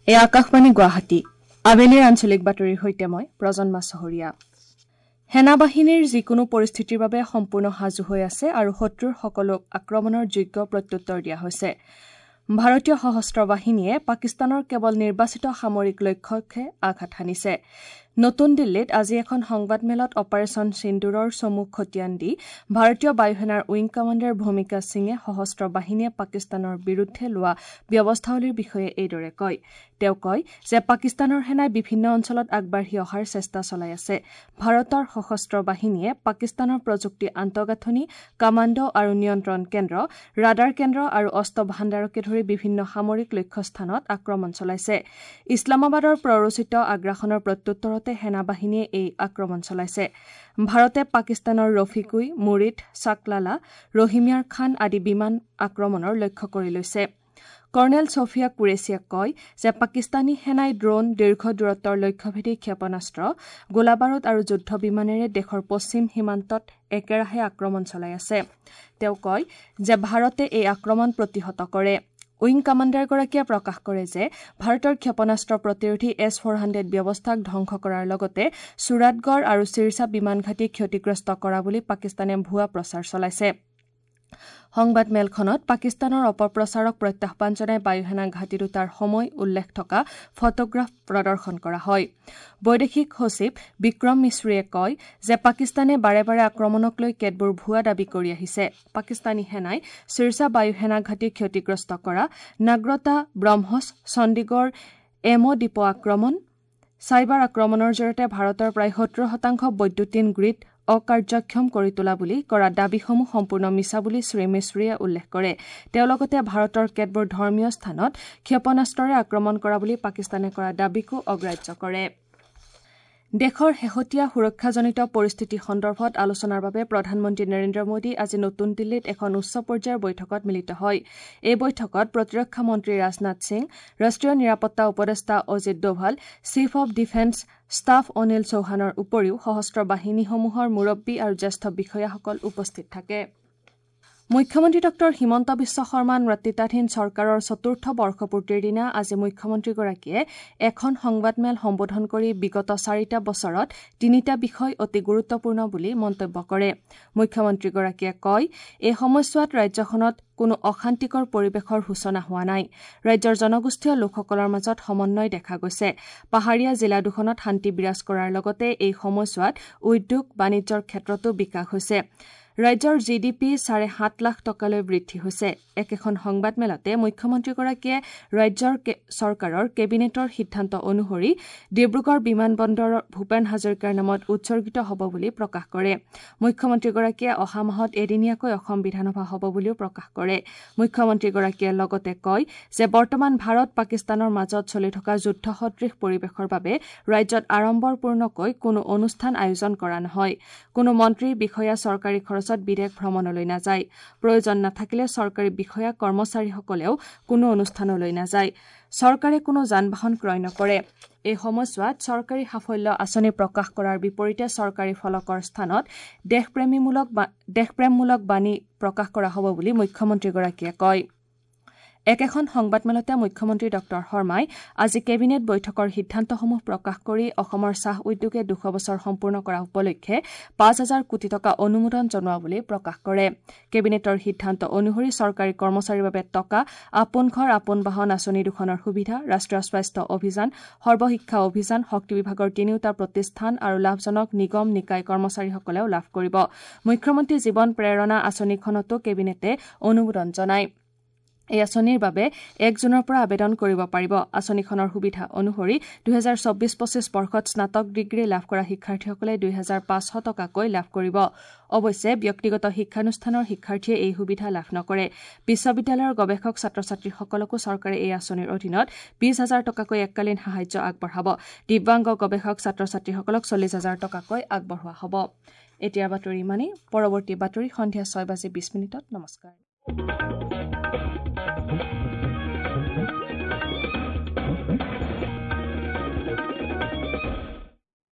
এই আকাশবাণী গুৱাহাটী আবেলিৰ আঞ্চলিক বাতৰিৰ সৈতে মই প্ৰজন্মা চহৰীয়া। সেনাবাহিনীৰ যিকোনো পৰিস্থিতিৰ বাবে সম্পূৰ্ণ সাজু হৈ আছে আৰু শত্ৰুৰ সকলো আক্ৰমণৰ যোগ্য প্ৰত্যুত্তৰ দিয়া হৈছে। ভাৰতীয় সশস্ত্ৰ বাহিনীয়ে পাকিস্তানৰ কেৱল নিৰ্বাচিত সামৰিক লক্ষ্যকহে আঘাত হানিছে। নতুন দিল্লীত আজি এখন সংবাদমেলত অপাৰেচন সিন্দুৰৰ চমু খতিয়ান দি ভাৰতীয় বায়ুসেনাৰ উইং কমাণ্ডাৰ ভূমিকা সিঙে সশস্ত্ৰ বাহিনীয়ে পাকিস্তানৰ বিৰুদ্ধে লোৱা ব্যৱস্থাৱলীৰ বিষয়ে এইদৰে কয়। তেওঁ কয় যে পাকিস্তানৰ সেনাই বিভিন্ন অঞ্চলত আগবাঢ়ি অহাৰ চেষ্টা চলাই আছে। ভাৰতৰ সশস্ত্ৰ বাহিনীয়ে পাকিস্তানৰ প্ৰযুক্তি আন্তঃগাঁথনি, কামাণ্ডো আৰু নিয়ন্ত্ৰণ কেন্দ্ৰ, ৰাডাৰ কেন্দ্ৰ আৰু অস্ত্ৰ ভাণ্ডাৰকে ধৰি বিভিন্ন সামৰিক লক্ষ্যস্থানত আক্ৰমণ চলাইছে। ইছলামাবাদৰ প্ৰৰোচিত আগ্ৰাসনৰ প্ৰত্যুত্তৰত সেনাবাহিনীয়ে এই আক্ৰমণ চলাইছে। ভাৰতে পাকিস্তানৰ ৰফিকুই, মুৰিদ, চাকলালা, ৰহিমিয়াৰ খান আদি বিমান আক্ৰমণৰ লক্ষ্য কৰি লৈছে। কৰ্ণেল ছফিয়া কুৰেছিয়ে কয় যে পাকিস্তানী সেনাই ড্ৰোন, দীৰ্ঘ দূৰত্বৰ লক্ষ্যভেদী ক্ষেপণাস্ত্ৰ, গোলাবাৰুদ আৰু যুদ্ধ বিমানেৰে দেশৰ পশ্চিম সীমান্তত একেৰাহে আক্ৰমণ চলাই আছে। তেওঁ কয় যে ভাৰতে এই আক্ৰমণ প্ৰতিহত কৰে। উইং কমাণ্ডাৰগৰাকীয়ে প্ৰকাশ কৰে যে ভাৰতৰ ক্ষেপণাস্ত্ৰ প্ৰতিৰোধী S-400 ব্যৱস্থাক ধ্বংস কৰাৰ লগতে চুৰাটগড় আৰু চিৰচা বিমানঘাটী ক্ষতিগ্ৰস্ত কৰা বুলি পাকিস্তানে ভুৱা প্ৰচাৰ চলাইছে। সংবাদমেলখনত পাকিস্তানৰ অপপ্ৰচাৰক প্ৰত্যাহ্বান জনাই বায়ুসেনা ঘাটি দুটাৰ সময় উল্লেখ থকা ফটোগ্ৰাফ প্ৰদৰ্শন কৰা হয়। বৈদেশিক সচিব বিক্ৰম মিশ্ৰীয়ে কয় যে পাকিস্তানে বাৰে বাৰে আক্ৰমণক লৈ কেতবোৰ ভুৱা দাবী কৰি আহিছে। পাকিস্তানী সেনাই চিৰচা বায়ুসেনা ঘাটি ক্ষতিগ্ৰস্ত কৰা, নাগ্ৰতা, ব্ৰহ্মছ, চণ্ডীগড় এম ডিপো আক্ৰমণ, চাইবাৰ আক্ৰমণৰ জৰিয়তে ভাৰতৰ প্ৰায় 70% বৈদ্যুতিন গ্ৰীড অকাৰ্যক্ষম কৰি তোলা বুলি কৰা দাবীসমূহ সম্পূৰ্ণ মিছা বুলি শ্ৰী মিশ্ৰীয়ে উল্লেখ কৰে। তেওঁ লগতে ভাৰতৰ কেতবোৰ ধৰ্মীয় স্থানত ক্ষেপণাস্ত্ৰৰে আক্ৰমণ কৰা বুলি পাকিস্তানে কৰা দাবীকো অগ্ৰাহ্য কৰে। দেশৰ শেহতীয়া সুৰক্ষাজনিত পৰিস্থিতি সন্দৰ্ভত আলোচনাৰ বাবে প্ৰধানমন্ত্ৰী নৰেন্দ্ৰ মোদী আজি নতুন দিল্লীত এখন উচ্চ পৰ্যায়ৰ বৈঠকত মিলিত হয়। এই বৈঠকত প্ৰতিৰক্ষা মন্ত্ৰী ৰাজনাথ সিং, ৰাষ্ট্ৰীয় নিৰাপত্তা উপদেষ্টা Ajit Doval, chief of defence staff Anil চৌহানৰ উপৰিও সশস্ত্ৰ বাহিনীসমূহৰ মুৰব্বী আৰু জ্যেষ্ঠ বিষয়াসকল উপস্থিত থাকে। মুখ্যমন্ত্ৰী ডঃ হিমন্ত বিশ্ব শৰ্মা নেতৃত্বাধীন চৰকাৰৰ চতুৰ্থ বৰ্ষপূৰ্তিৰ দিনা আজি মুখ্যমন্ত্ৰীগৰাকীয়ে এখন সংবাদমেল সম্বোধন কৰি বিগত 4টা বছৰত 3টা বিষয় অতি গুৰুত্বপূৰ্ণ বুলি মন্তব্য কৰে। মুখ্যমন্ত্ৰীগৰাকীয়ে কয়, এই সময়ছোৱাত ৰাজ্যখনত কোনো অশান্তিকৰ পৰিৱেশৰ সূচনা হোৱা নাই। ৰাজ্যৰ জনগোষ্ঠীয় লোকসকলৰ মাজত সমন্বয় দেখা গৈছে। পাহাৰীয়া জিলা দুখনত শান্তি বিৰাজ কৰাৰ লগতে এই সময়ছোৱাত উদ্যোগ, বাণিজ্যৰ ক্ষেত্ৰতো বিকাশ হৈছে। ৰাজ্যৰ জি ডি পি 7.5 লাখ টকালৈ বৃদ্ধি হৈছে। একেখন সংবাদমেলতে মুখ্যমন্ত্ৰীগৰাকীয়ে ৰাজ্যৰ চৰকাৰৰ কেবিনেটৰ সিদ্ধান্ত অনুসৰি ডিব্ৰুগড় বিমান বন্দৰ ভূপেন হাজৰিকাৰ নামত উৎসৰ্গিত হ'ব বুলি প্ৰকাশ কৰে। মুখ্যমন্ত্ৰীগৰাকীয়ে অহা মাহত এদিনীয়াকৈ অসম বিধানসভা হ'ব বুলিও প্ৰকাশ কৰে। মুখ্যমন্ত্ৰীগৰাকীয়ে লগতে কয় যে বৰ্তমান ভাৰত পাকিস্তানৰ মাজত চলি থকা যুদ্ধসদৃশ পৰিৱেশৰ বাবে ৰাজ্যত আড়ম্বৰপূৰ্ণকৈ কোনো অনুষ্ঠান আয়োজন কৰা নহয়। কোনো মন্ত্ৰী, বিষয়া চৰকাৰী খৰচত বিদেশ ভ্ৰমণলৈ নাযায়। প্ৰয়োজন নাথাকিলে চৰকাৰী বিষয়া কৰ্মচাৰীসকলেও কোনো অনুষ্ঠানলৈ নাযায়। চৰকাৰে কোনো যান বাহন ক্ৰয় নকৰে। এই সময়ছোৱাত চৰকাৰী সাফল্য আঁচনি প্ৰকাশ কৰাৰ বিপৰীতে চৰকাৰী ফলকৰ স্থানত দেশপ্ৰেমমূলক বাণী প্ৰকাশ কৰা হ'ব বুলি মুখ্যমন্ত্ৰীগৰাকীয়ে কয়। একেখন সংবাদমেলতে মুখ্যমন্ত্ৰী ডঃ শৰ্মাই আজি কেবিনেট বৈঠকৰ সিদ্ধান্তসমূহ প্ৰকাশ কৰি অসমৰ চাহ উদ্যোগে 200 বছৰ সম্পূৰ্ণ কৰা উপলক্ষে 5,000 কোটি টকা অনুমোদন জনোৱা বুলি প্ৰকাশ কৰে। কেবিনেটৰ সিদ্ধান্ত অনুসৰি চৰকাৰী কৰ্মচাৰীৰ বাবে টকা, আপোন ঘৰ আপোন বাহন আঁচনি দুখনৰ সুবিধা, ৰাষ্ট্ৰীয় স্বাস্থ্য অভিযান, সৰ্বশিক্ষা অভিযান, শক্তি বিভাগৰ তিনিওটা প্ৰতিষ্ঠান আৰু লাভজনক নিগম নিকায় কৰ্মচাৰীসকলেও লাভ কৰিব। মুখ্যমন্ত্ৰী জীৱন প্ৰেৰণা আঁচনিখনতো কেবিনেটে অনুমোদন জনায়। এই আঁচনিৰ বাবে 1 জুনৰ পৰা আবেদন কৰিব পাৰিব। আঁচনিখনৰ সুবিধা অনুসৰি 2024-25 বৰ্ষত স্নাতক ডিগ্ৰী লাভ কৰা শিক্ষাৰ্থীসকলে 2,500 টকাকৈ লাভ কৰিব। অৱশ্যে ব্যক্তিগত শিক্ষানুষ্ঠানৰ শিক্ষাৰ্থীয়ে এই সুবিধা লাভ নকৰে। বিশ্ববিদ্যালয়ৰ গৱেষক ছাত্ৰ-ছাত্ৰীসকলকো চৰকাৰে এই আঁচনিৰ অধীনত 20,000 টকাকৈ এককালীন সাহায্য আগবঢ়াব। দিব্যাংগ গৱেষক ছাত্ৰ-ছাত্ৰীসকলক 40,000 টকাকৈ আগবঢ়োৱা হ'ব। এতিয়াৰ বাতৰি ইমানেই। পৰৱৰ্তী বাতৰি সন্ধিয়া 6:20। নমস্কাৰ।